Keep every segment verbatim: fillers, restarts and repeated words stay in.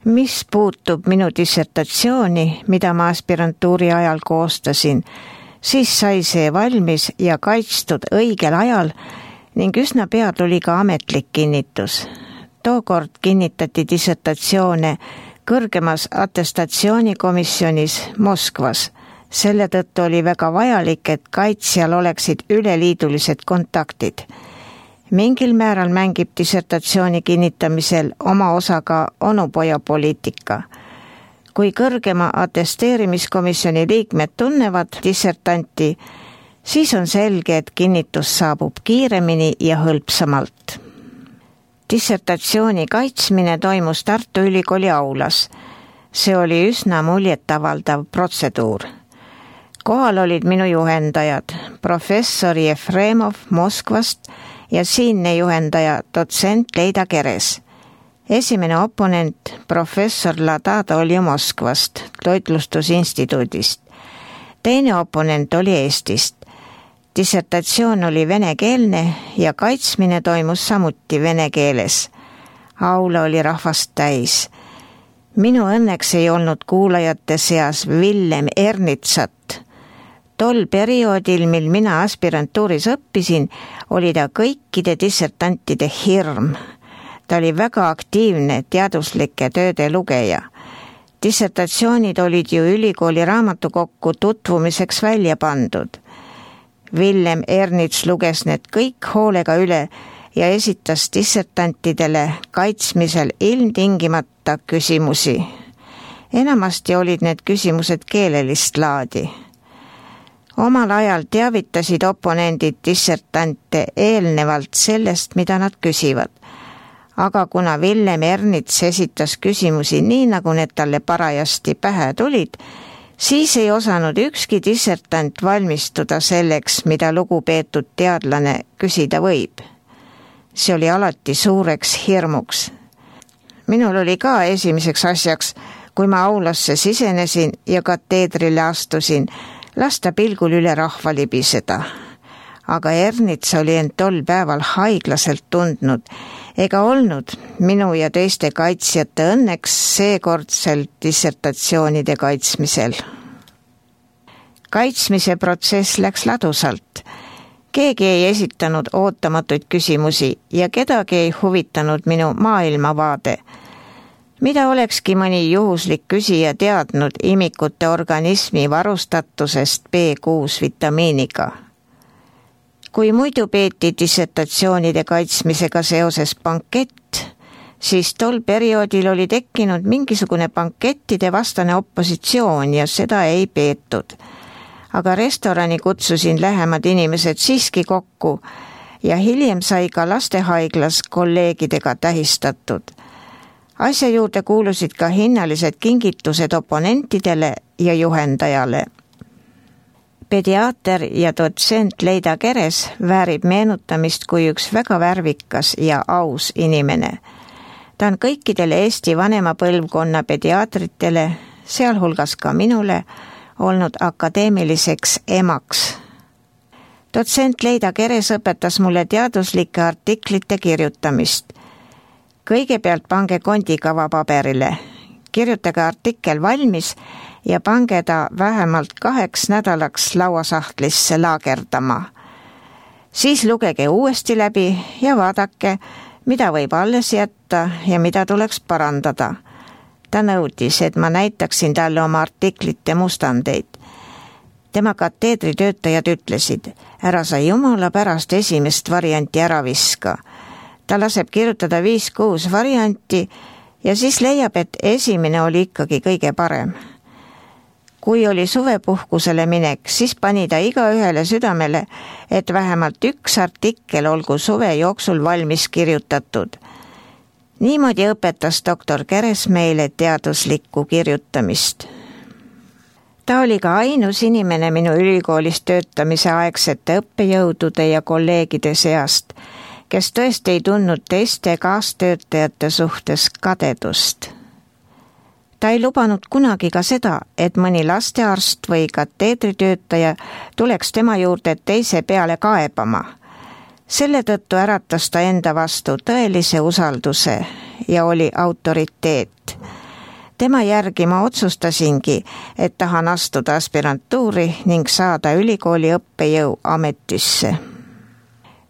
Mis puutub minu dissertatsiooni, mida ma aspirantuuri ajal koostasin, siis sai see valmis ja kaitstud õigel ajal ning üsna pea tuli ka ametlik kinnitus. Tookord kinnitati dissertatsioone kõrgemas atestatsioonikomisjonis Moskvas. Selle tõttu oli väga vajalik, et kaitsjal oleksid üleliidulised kontaktid. Mingil määral mängib dissertatsiooni kinnitamisel oma osa ka onupojapoliitika. Kui kõrgema atesteerimiskomisjoni liikmed tunnevad dissertanti, siis on selge, et kinnitus saabub kiiremini ja hõlpsamalt. Dissertatsiooni kaitsmine toimus Tartu Ülikooli aulas. See oli üsna muljetavaldav protseduur. Kohal olid minu juhendajad, professor Jefremov Moskvast ja siinne juhendaja dotsent Leida Keres. Esimene oponent, professor Ladada, oli Moskvast, toitlustusinstituudist. Teine oponent oli Eestist. Dissertatsioon oli venekeelne ja kaitsmine toimus samuti vene keeles. Aula oli rahvast täis. Minu õnneks ei olnud kuulajate seas Villem Ernitsat. Tol perioodil, mil mina aspirantuuris õppisin, oli ta kõikide dissertantide hirm. Ta oli väga aktiivne teaduslike tööde lugeja. Dissertatsioonid olid ju ülikooli raamatukokku tutvumiseks välja pandud. Villem Ernits luges need kõik hoolega üle ja esitas dissertantidele kaitsmisel ilmtingimata küsimusi. Enamasti olid need küsimused keelelist laadi. Omal ajal teavitasid oponendid dissertante eelnevalt sellest, mida nad küsivad. Aga kuna Villem Ernits esitas küsimusi nii, nagu need talle parajasti pähe tulid, siis ei osanud ükski dissertant valmistuda selleks, mida lugupeetud teadlane küsida võib. See oli alati suureks hirmuks. Minul oli ka esimeseks asjaks, kui ma aulasse sisenesin ja kateedrile astusin, lasta pilgul üle rahva libiseda. Aga Ernits oli end tol päeval haiglaselt tundnud ega olnud minu ja teiste kaitsjate õnneks seekordsel dissertatsioonide kaitsmisel. Kaitsmise protsess läks ladusalt. Keegi ei esitanud ootamatuid küsimusi ja kedagi ei huvitanud minu maailmavaade. Mida olekski mõni juhuslik küsija teadnud imikute organismi varustatusest B kuus vitamiiniga? Kui muidu peeti dissertatsioonide kaitsmisega seoses bankett, siis tol perioodil oli tekkinud mingisugune bankettide vastane opositsioon ja seda ei peetud. Aga restorani kutsusin lähemad inimesed siiski kokku ja hiljem sai ka lastehaiglas kolleegidega tähistatud. Asja juurde kuulusid ka hinnalised kingitused oponentidele ja juhendajale. Pediaater ja dotsent Leida Keres väärib meenutamist kui üks väga värvikas ja aus inimene. Ta on kõikidele Eesti vanema põlvkonna pediaatritele, sealhulgas ka minule, olnud akadeemiliseks emaks. Dotsent Leida Keres õpetas mulle teaduslike artiklite kirjutamist. Kõigepealt pange kondikava paberile, kirjutage artikkel valmis ja pange ta vähemalt kaheks nädalaks lauasahtlisse laagerdama. Siis lugege uuesti läbi ja vaadake, mida võib alles jätta ja mida tuleks parandada. Ta nõudis, et ma näitaksin talle oma artiklite mustandeid. Tema kateedritöötajad ütlesid, ära sa jumala pärast esimest varianti ära viska. Ta laseb kirjutada viis kuus varianti ja siis leiab, et esimene oli ikkagi kõige parem. Kui oli suvepuhkusele minek, siis pani ta iga ühele südamele, et vähemalt üks artikkel olgu suve jooksul valmis kirjutatud. Niimoodi õpetas doktor Keres meile teaduslikku kirjutamist. Ta oli ka ainus inimene minu ülikoolis töötamise aegsete õppejõudude ja kolleegide seast, kes tõesti ei tundnud teiste kaastöötajate suhtes kadedust. Ta ei lubanud kunagi ka seda, et mõni lastearst või kateedritöötaja tuleks tema juurde teise peale kaebama. Selle tõttu äratas ta enda vastu tõelise usalduse ja oli autoriteet. Tema järgi ma otsustasingi, et tahan astuda aspirantuuri ning saada ülikooli õppejõu ametisse.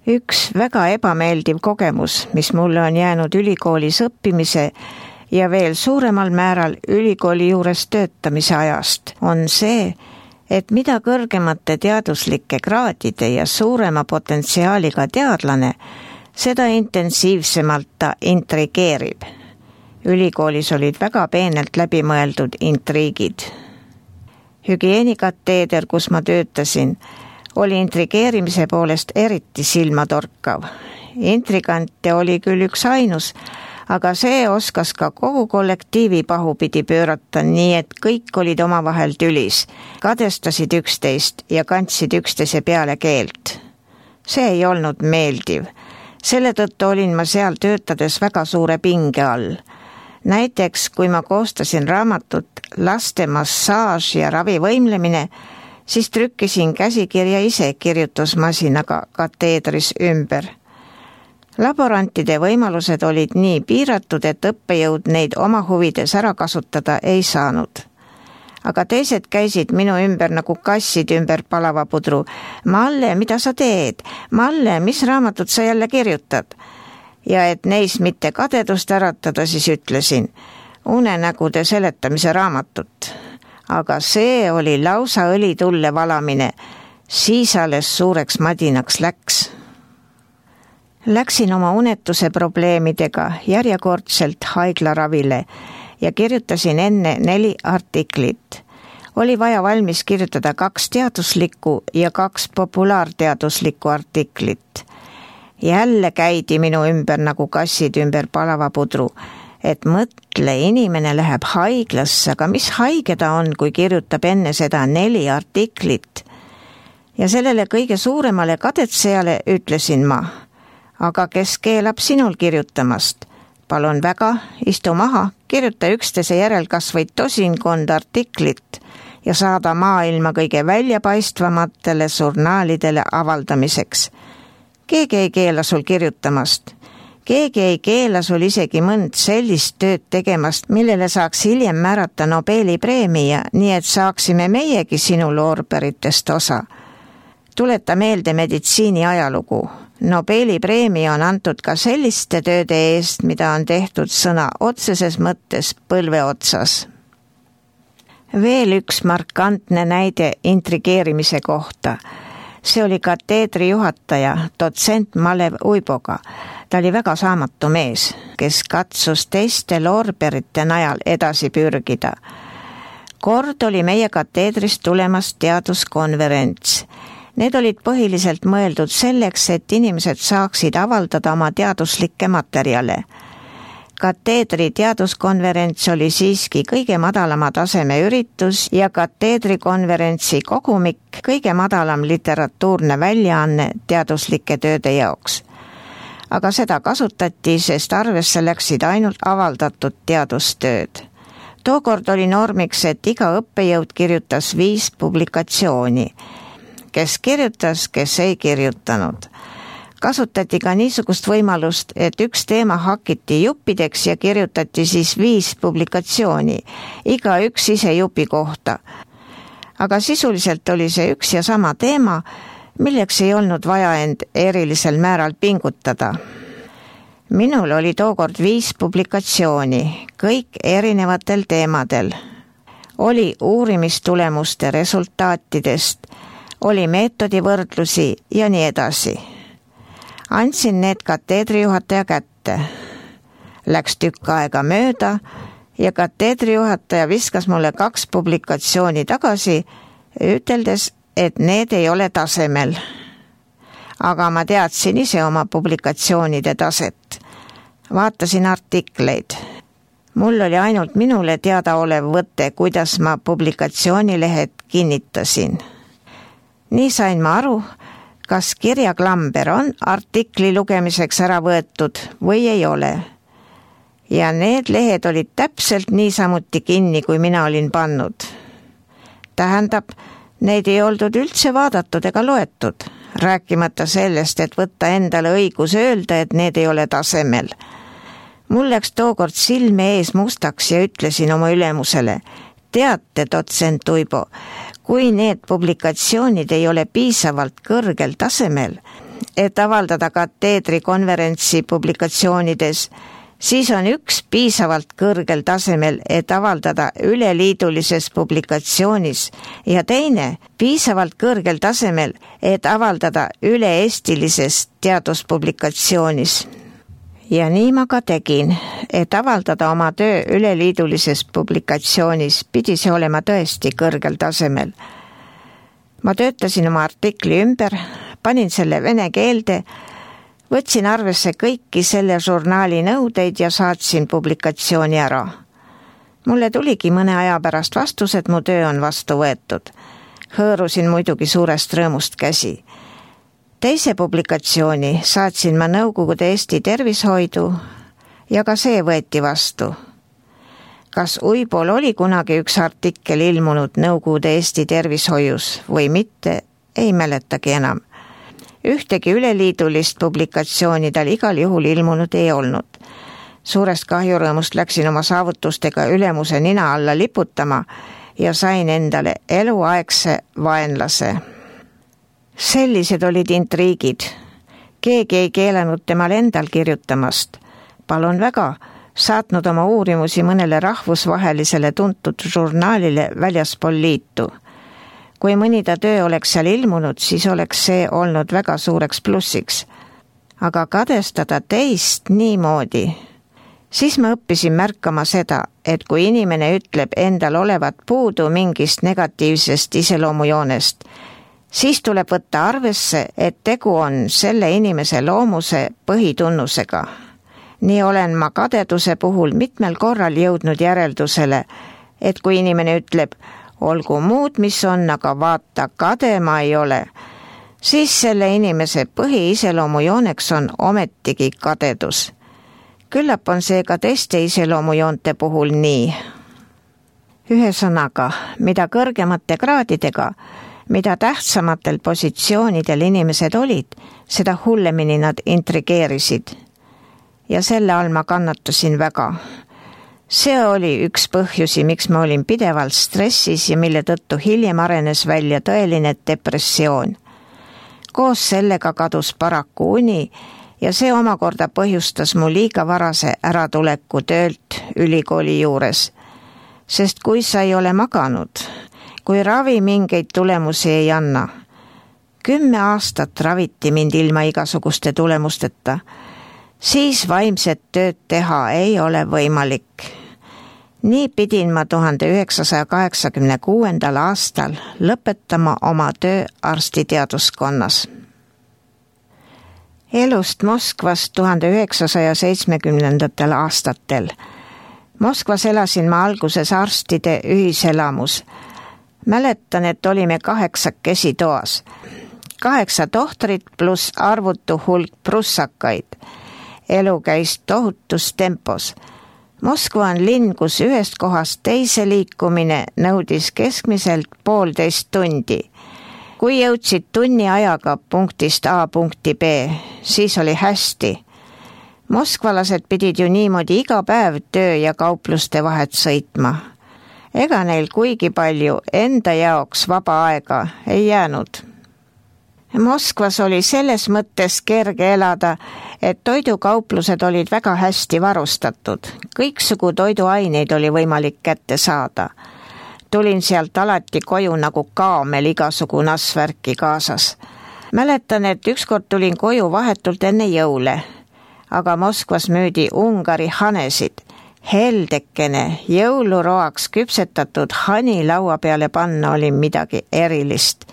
Üks väga ebameeldiv kogemus, mis mulle on jäänud ülikoolis õppimise ja veel suuremal määral ülikooli juures töötamise ajast, on see, et mida kõrgemate teaduslike kraadide ja suurema potentsiaaliga teadlane, seda intensiivsemalt ta intrigeerib. Ülikoolis olid väga peenelt läbimõeldud intriigid. Hügieenikateeder, kus ma töötasin, oli intrigeerimise poolest eriti silmatorkav. Intrigante oli küll üks ainus, aga see oskas ka kogu kollektiivi pahupidi pöörata, nii et kõik olid omavahel tülis, kadestasid üksteist ja kandsid üksteise peale keelt. See ei olnud meeldiv. Selle tõttu olin ma seal töötades väga suure pinge all. Näiteks, kui ma koostasin raamatut Laste massaaž ja ravivõimlemine, siis trükkisin käsikirja ise kirjutusmasinaga kateedris ümber. Laborantide võimalused olid nii piiratud, et õppejõud neid oma huvides ära kasutada ei saanud. Aga teised käisid minu ümber nagu kassid ümber palava pudru. Malle, mida sa teed? Malle, mis raamatut sa jälle kirjutad? Ja et neis mitte kadedust äratada, siis ütlesin unenägude seletamise raamatut. Aga see oli lausa õlitulle valamine. Siis alles suureks madinaks läks. Läksin oma unetuse probleemidega järjekordselt haiglaravile ja kirjutasin enne neli artiklit. Oli vaja valmis kirjutada kaks teaduslikku ja kaks populaarteaduslikku artiklit. Jälle käidi minu ümber nagu kassid ümber palava pudru, et mõtle, inimene läheb haiglasse, aga mis haige ta on, kui kirjutab enne seda neli artiklit. Ja sellele kõige suuremale kadetsejale ütlesin ma, aga kes keelab sinul kirjutamast? Palun väga, istu maha, kirjuta üksteise järel kas või tosinkond artiklit ja saada maailma kõige väljapaistvamatele žurnaalidele avaldamiseks. Keegi ei keela sul kirjutamast. Keegi ei keela sul isegi mõnd sellist tööd tegemast, millele saaks hiljem määrata Nobeli preemia, nii et saaksime meiegi sinu loorberitest osa. Tuleta meelde meditsiini ajalugu. Nobeli preemia on antud ka selliste tööde eest, mida on tehtud sõna otseses mõttes põlve otsas. Veel üks markantne näide intrigeerimise kohta. See oli kateedri juhataja, dotsent Malev Uiboga. Ta oli väga saamatu mees, kes katsus teiste loorberite najal edasi pürgida. Kord oli meie kateedrist tulemas teaduskonverents. Need olid põhiliselt mõeldud selleks, et inimesed saaksid avaldada oma teaduslikke materjale. Kateedri teaduskonverents oli siiski kõige madalama taseme üritus ja kateedrikonverentsi kogumik kõige madalam literatuurne väljaanne teaduslike tööde jaoks. Aga seda kasutati, sest arvesse läksid ainult avaldatud teadustööd. Tookord oli normiks, et iga õppejõud kirjutas viis publikatsiooni. Kes kirjutas, kes ei kirjutanud. Kasutati ka niisugust võimalust, et üks teema hakiti juppideks ja kirjutati siis viis publikatsiooni, iga üks ise jupi kohta. Aga sisuliselt oli see üks ja sama teema, milleks ei olnud vaja end erilisel määral pingutada. Minul oli tookord viis publikatsiooni, kõik erinevatel teemadel. Oli uurimistulemuste resultaatidest, oli meetodivõrdlusi ja nii edasi. Andsin need kateedrijuhataja kätte. Läks tükk aega mööda ja kateedrijuhataja viskas mulle kaks publikatsiooni tagasi, üteldes, et need ei ole tasemel. Aga ma teadsin ise oma publikatsioonide taset. Vaatasin artikleid. Mul oli ainult minule teadaolev võte, kuidas ma publikatsioonilehed kinnitasin. Nii sain ma aru, kas kirjaklamber on artikli lugemiseks ära võetud või ei ole. Ja need lehed olid täpselt niisamuti kinni, kui mina olin pannud. Tähendab, neid ei oldud üldse vaadatud ega loetud, rääkimata sellest, et võtta endale õigus öelda, et need ei ole tasemel. Mul läks tookord silme ees mustaks ja ütlesin oma ülemusele, teate, dotsent Uibo, kui need publikatsioonid ei ole piisavalt kõrgel tasemel, et avaldada kateedri konverentsi publikatsioonides, siis on üks piisavalt kõrgel tasemel, et avaldada üleliidulises publikatsioonis ja teine piisavalt kõrgel tasemel, et avaldada üle-eestilises teaduspublikatsioonis. Ja nii ma ka tegin, et avaldada oma töö üleliidulises publikatsioonis pidi see olema tõesti kõrgel tasemel. Ma töötasin oma artikli ümber, panin selle vene keelde, võtsin arvesse kõiki selle žurnaali nõudeid ja saatsin publikatsiooni ära. Mulle tuligi mõne aja pärast vastus, et mu töö on vastu võetud. Hõõrusin muidugi suurest rõõmust käsi. Teise publikatsiooni saatsin ma Nõukogude Eesti tervishoidu ja ka see võeti vastu. Kas Uibol oli kunagi üks artikkel ilmunud Nõukogude Eesti tervishoius või mitte, ei mäletagi enam. Ühtegi üleliidulist publikatsiooni tal igal juhul ilmunud ei olnud. Suurest kahjurõõmust läksin oma saavutustega ülemuse nina alla liputama ja sain endale eluaegse vaenlase. Sellised olid intriigid. Keegi ei keelanud temal endal kirjutamast. Palun väga, saatnud oma uurimusi mõnele rahvusvahelisele tuntud žurnaalile väljaspool liitu. Kui mõni ta töö oleks seal ilmunud, siis oleks see olnud väga suureks plussiks. Aga kadestada teist niimoodi. Siis ma õppisin märkama seda, et kui inimene ütleb endal olevat puudu mingist negatiivsest iseloomujoonest, siis tuleb võtta arvesse, et tegu on selle inimese loomuse põhitunnusega. Nii olen ma kadeduse puhul mitmel korral jõudnud järeldusele, et kui inimene ütleb, olgu muud, mis on, aga vaata, kade ma ei ole, siis selle inimese põhiiseloomujooneks on ometigi kadedus. Küllap on see ka teiste iseloomujoonte puhul nii. Ühesõnaga, mida kõrgemate kraadidega, mida tähtsamatel positsioonidel inimesed olid, seda hullemini nad intrigeerisid. Ja selle all ma kannatasin väga. See oli üks põhjusi, miks ma olin pidevalt stressis ja mille tõttu hiljem arenes välja tõeline depressioon. Koos sellega kadus paraku uni ja see omakorda põhjustas mu liiga varase äratuleku töölt ülikooli juures. Sest kui sa ei ole maganud, kui ravi mingeid tulemusi ei anna, kümme aastat raviti mind ilma igasuguste tulemusteta, siis vaimset tööd teha ei ole võimalik. Nii pidin ma tuhande üheksasaja kaheksakümne kuuendal aastal lõpetama oma töö arstiteaduskonnas. Elust Moskvas tuhande üheksasaja seitsmekümnendatel aastatel. Moskvas elasin ma alguses arstide ühiselamus. Mäletan, et olime kaheksakesi toas. Kaheksa tohtrit pluss arvutu hulk prussakaid. Elu käis tohutus tempos. Moskva on linn, kus ühest kohast teise liikumine nõudis keskmiselt poolteist tundi. Kui jõudsid tunni ajaga punktist A punkti B, siis oli hästi. Moskvalased pidid ju niimoodi iga päev töö ja kaupluste vahet sõitma. Ega neil kuigi palju enda jaoks vaba aega ei jäänud. Moskvas oli selles mõttes kerge elada, et toidukauplused olid väga hästi varustatud. Kõiksugu toiduaineid oli võimalik kätte saada. Tulin sealt alati koju nagu kaamel igasugu nassvärki kaasas. Mäletan, et ükskord tulin koju vahetult enne jõule, aga Moskvas müüdi Ungari hanesid. Heldekene jõuluroaks küpsetatud hani laua peale panna oli midagi erilist.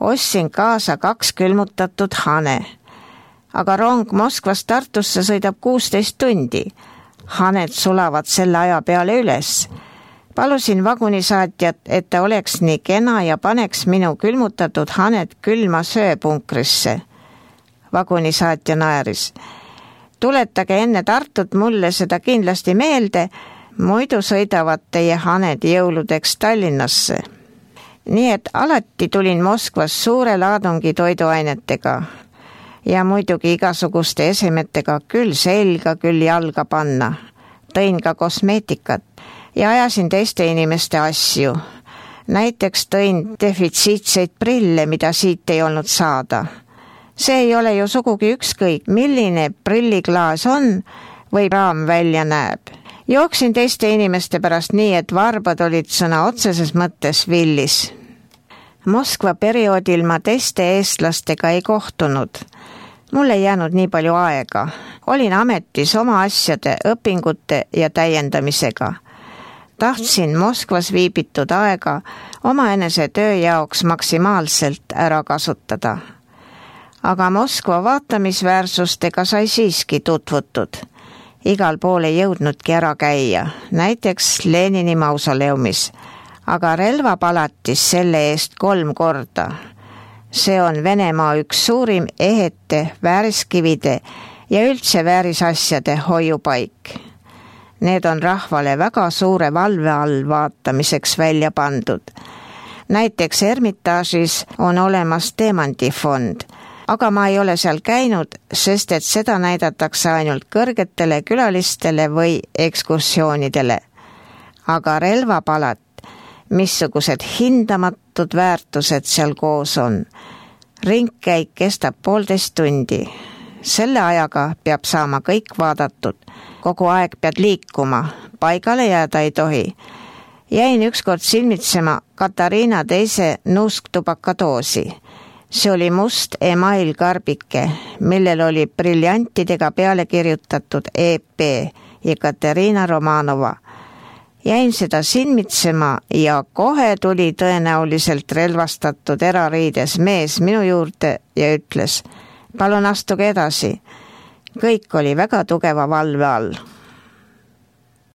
Ostsin kaasa kaks külmutatud hane, aga rong Moskvast Tartusse sõidab kuusteist tundi. Haned sulavad selle aja peale üles. Palusin vagunisaatjat, et ta oleks nii kena ja paneks minu külmutatud haned külma sööpunkrisse. Vagunisaatja naeris. Tuletage enne Tartut mulle seda kindlasti meelde, muidu sõidavad teie haned jõuludeks Tallinnasse. Nii et alati tulin Moskvas suure laadungi toiduainetega. ja muidugi igasuguste esemetega küll selga, küll jalga panna. Tõin ka kosmeetikat ja ajasin teiste inimeste asju. Näiteks tõin defitsiitseid prille, mida siit ei olnud saada. See ei ole ju sugugi ükskõik, milline prilliklaas on või raam välja näeb. Jooksin teiste inimeste pärast nii, et varbad olid sõna otseses mõttes villis. Moskva perioodil ma teiste eestlastega ei kohtunud. Mul ei jäänud nii palju aega. Olin ametis oma asjade, õpingute ja täiendamisega. Tahtsin Moskvas viibitud aega omaenese töö jaoks maksimaalselt ära kasutada. Aga Moskva vaatamisväärsustega sai siiski tutvutud. Igal pool ei jõudnudki ära käia, näiteks Lenini mausoleumis, aga relvapalatis selle eest kolm korda. See on Venemaa üks suurim ehete, vääriskivide ja üldse väärisasjade hoiupaik. Need on rahvale väga suure valve all vaatamiseks välja pandud. Näiteks Ermitaažis on olemas teemandifond, aga ma ei ole seal käinud, sest et seda näidatakse ainult kõrgetele külalistele või ekskursioonidele. Aga relvapalat, missugused hindamatud väärtused seal koos on. Ringkäik kestab poolteist tundi. Selle ajaga peab saama kõik vaadatud. Kogu aeg pead liikuma, paigale jääda ei tohi. Jäin ükskord silmitsema Katariina teise nuusktubakadoosi. See oli must emailkarbike, millel oli briljantidega peale kirjutatud E P ja Katerina Romanova. Jäin seda silmitsema ja kohe tuli tõenäoliselt relvastatud erariides mees minu juurde ja ütles, palun astuge edasi. Kõik oli väga tugeva valve all.